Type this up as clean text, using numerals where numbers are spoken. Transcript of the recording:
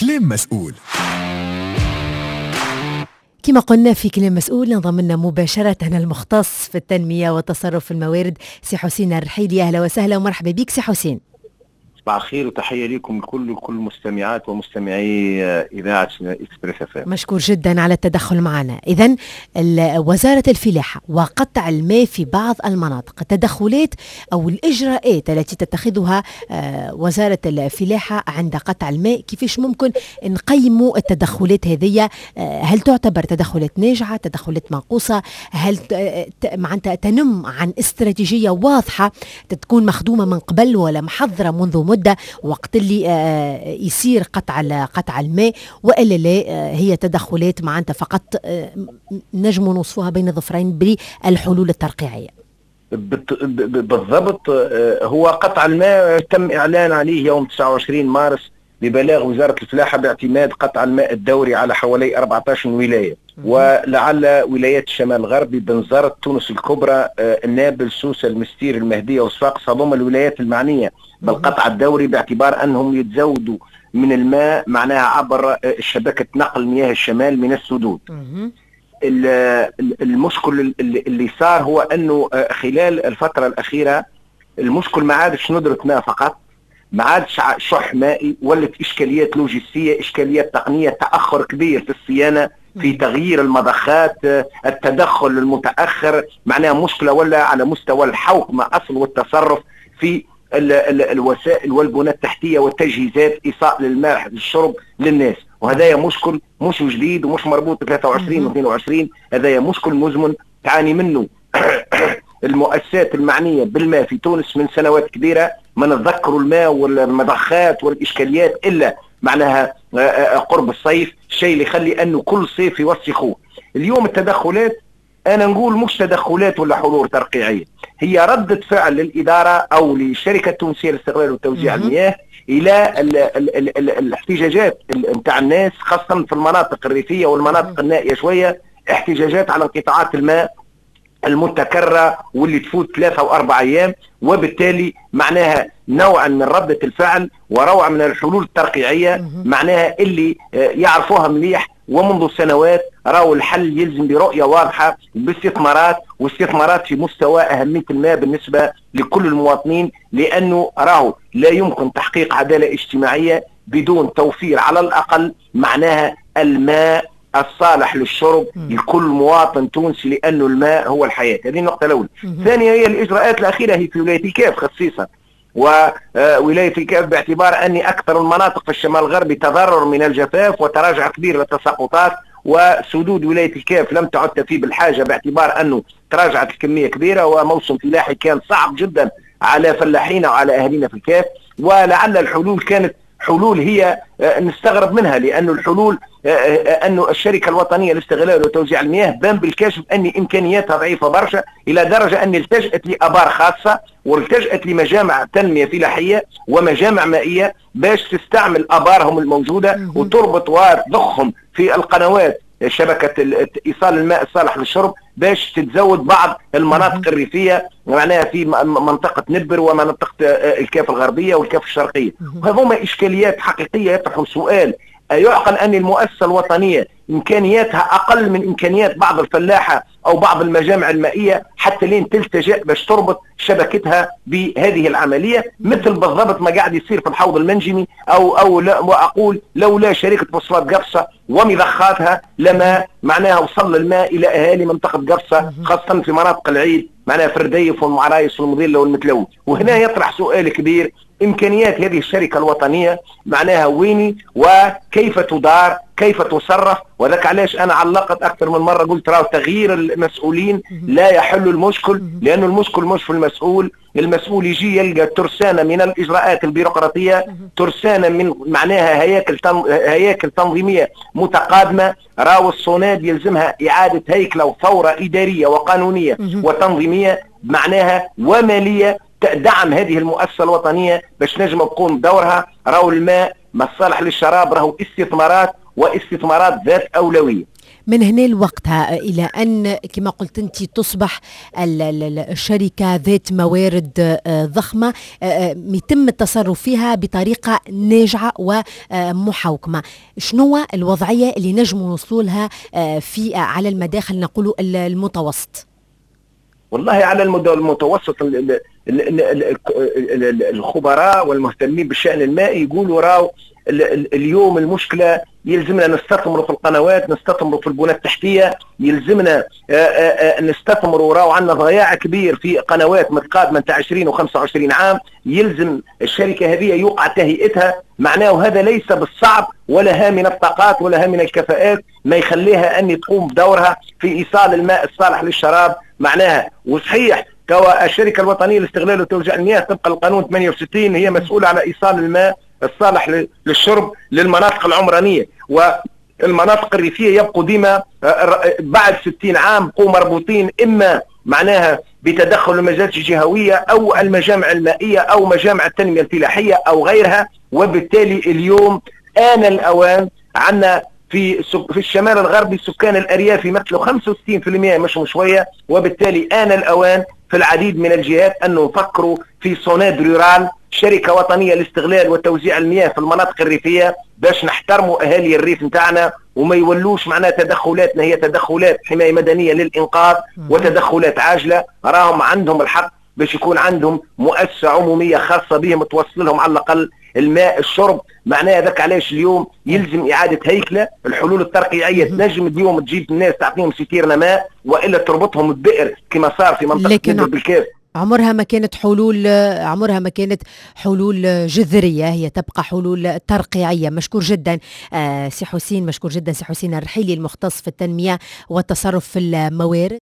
كلام مسؤول. كما قلنا في كلام مسؤول انضم لنا مباشرة المختص في التنمية والتصرف في الموارد سي حسين الرحيلي. أهلا وسهلا ومرحبا بك سي حسين. صباح الخير وتحية لكم الكل، كل مستمعات ومستمعي إذاعة Express FM. مشكور جدا على التدخل معنا. إذا وزارة الفلاحة وقطع الماء في بعض المناطق، التدخلات أو الإجراءات التي تتخذها وزارة الفلاحة عند قطع الماء، كيفاش ممكن نقيموا التدخلات هذه؟ هل تعتبر تدخلات ناجعة، تدخلات منقوصة؟ هل معناتها تنم عن استراتيجية واضحة تكون مخدومة من قبل ولا محضرة منذ مدة وقت اللي يصير قطع الماء، والا لا هي تدخلات معناتها فقط نجم نوصفوها بين ظفرين بالحلول الترقيعيه؟ بالضبط، هو قطع الماء تم اعلان عليه يوم 29 مارس ببلاغ وزارة الفلاحة باعتماد قطع الماء الدوري على حوالي 14 ولاية، ولعل ولايات الشمال الغربي، بنزرت، تونس الكبرى، النابل، سوسة، المستير، المهدية وصفاقس، هذوما الولايات المعنية بالقطع الدوري باعتبار أنهم يتزودوا من الماء معناها عبر شبكة نقل مياه الشمال من السدود. المشكل اللي صار هو أنه خلال الفترة الأخيرة المشكل ما عادش ندرة ماء فقط، ما عادش شح مائي، ولت إشكاليات لوجستية، إشكاليات تقنية، تأخر كبير في الصيانة، في تغيير المضخات، التدخل المتأخر، معناها مشكلة ولا على مستوى الحوكمة أصل والتصرف في ال ال الوسائل والبنى التحتية والتجهيزات إيصال للماء للشرب للناس. وهذا مشكل مش جديد ومش مربوط ب 23 و 22، هذا مشكل مزمن تعاني منه المؤسسات المعنية بالماء في تونس من سنوات كبيرة. ما نتذكروا الماء والمضخات والإشكاليات إلا معناها قرب الصيف، الشيء اللي يخلي أنه كل صيف يوسخوه. اليوم التدخلات أنا نقول مش تدخلات ولا حضور ترقيعية، هي ردة فعل للإدارة أو للشركة التونسية لاستغلال وتوزيع المياه إلى ال ال ال ال الاحتجاجات نتاع الناس، خاصة في المناطق الريفية والمناطق النائية شوية، احتجاجات على انقطاعات الماء المتكررة واللي تفوت 3 أو 4 أيام، وبالتالي معناها نوعا من ردة الفعل وروعة من الحلول الترقيعية معناها اللي يعرفوها مليح ومنذ سنوات. راوا الحل يلزم برؤية واضحة باستثمارات، واستثمارات في مستوى أهمية الماء بالنسبة لكل المواطنين، لأنه راهو لا يمكن تحقيق عدالة اجتماعية بدون توفير على الأقل معناها الماء الصالح للشرب لكل مواطن تونسي، لأنه الماء هو الحياة. هذه النقطة الأولى. الثانية هي الإجراءات الأخيرة هي في ولاية الكاف خصيصا، وولاية الكاف باعتبار أني أكثر المناطق في الشمال الغربي تضرر من الجفاف وتراجع كبير للتساقطات، وسدود ولاية الكاف لم تعد تفي بالحاجة باعتبار أنه تراجعت الكمية كبيرة، وموسم فلاحي كان صعب جدا على فلاحينا وعلى أهالينا في الكاف. ولعل الحلول كانت حلول هي نستغرب منها، لأنه الحلول أنه الشركة الوطنية لاستغلال وتوزيع المياه بان بالكشف أن إمكانياتها ضعيفة برشا، إلى درجة أن التجأت لأبار خاصة والتجأت لمجامع تنمية فلاحية ومجامع مائية باش تستعمل أبارهم الموجودة وتربط وتضخهم في القنوات شبكة إيصال الماء الصالح للشرب باش تتزود بعض المناطق الريفية معناها في منطقة نبر ومنطقة الكاف الغربية والكاف الشرقية. وهذوما إشكاليات حقيقية يطرحوا سؤال: أيعقل أن المؤسسة الوطنية إمكانياتها أقل من إمكانيات بعض الفلاحة أو بعض المجامع المائية حتى لين تلتجئ باش تربط شبكتها بهذه العملية، مثل بالضبط ما قاعد يصير في الحوض المنجمي أو لا، وأقول لولا شركة فوسفات قفصة ومضخاتها لما معناها وصل الماء إلى أهالي منطقة قفصة، خاصة في مناطق العيد معناها في الرديف والمعرايس والمظلة والمتلوي. وهنا يطرح سؤال كبير: إمكانيات هذه الشركة الوطنية معناها ويني وكيف تدار، كيف تصرف؟ وذاك علاش أنا علقت أكثر من مرة قلت راهو تغيير المسؤولين لا يحل المشكل، لأن المشكل مش في المسؤول. المسؤول يجي يلقى ترسانة من الإجراءات البيروقراطية، ترسانة من معناها هياكل تنظيمية متقادمة. راهو الصوناد يلزمها إعادة هيكلة وثورة إدارية وقانونية وتنظيمية معناها ومالية دعم هذه المؤسسة الوطنية باش نجم تقوم بدورها. راهو الماء ما الصالح للشراب راهو استثمارات، واستثمارات ذات أولوية. من هنا لوقتها إلى أن كما قلت أنت تصبح الشركة ذات موارد ضخمة يتم التصرف فيها بطريقة ناجعة ومحوكمة، شنو الوضعية اللي نجموا نوصلوا لها في على المداخل نقولوا المتوسط؟ والله على المدى المتوسط الخبراء والمهتمين بالشأن المائي يقولوا راو اليوم المشكلة يلزمنا نستثمروا في القنوات، نستثمروا في البنى التحتية، يلزمنا نستثمروا، راو عندنا ضياع كبير في قنوات متقادمة نتاع 20 و25 عام، يلزم الشركة هذه يوقع تهيئتها. معناه هذا ليس بالصعب ولا من الطاقات ولا من الكفاءات ما يخليها أن تقوم بدورها في إيصال الماء الصالح للشراب. معناها وصحيح الشركة الوطنية لاستغلال وتوزيع المياه طبقا للقانون 68 هي مسؤولة على إيصال الماء الصالح للشرب للمناطق العمرانية والمناطق الريفية، يبقوا ديما بعد 60 عام بقوا مربوطين إما معناها بتدخل المجالس الجهوية أو المجامع المائية أو مجامع التنمية الفلاحية أو غيرها. وبالتالي اليوم آن الأوان عندنا في الشمال الغربي سكان الأرياف يمثلوا 65% مش شوية، وبالتالي آن الأوان في العديد من الجهات أن نفكروا في SONEDE rurale، شركة وطنية لاستغلال وتوزيع المياه في المناطق الريفية، باش نحترموا أهالي الريف نتاعنا وما يولوش معناها تدخلاتنا هي تدخلات حماية مدنية للإنقاذ وتدخلات عاجلة. راهم عندهم الحق باش يكون عندهم مؤسسة عمومية خاصة بهم توصل لهم على الأقل الماء الشرب. معناها ذاك علاش اليوم يلزم إعادة هيكلة الحلول الترقيعية، تنجم اليوم تجيب الناس تعطيهم ستيرنا ماء وإلا تربطهم ببئر كما صار في منطقة بالكاف. عمرها ما كانت حلول، عمرها ما كانت حلول جذرية، هي تبقى حلول ترقيعية. مشكور جدا سي حسين، مشكور جدا سي حسين الرحيلي المختص في التنمية والتصرف في الموارد.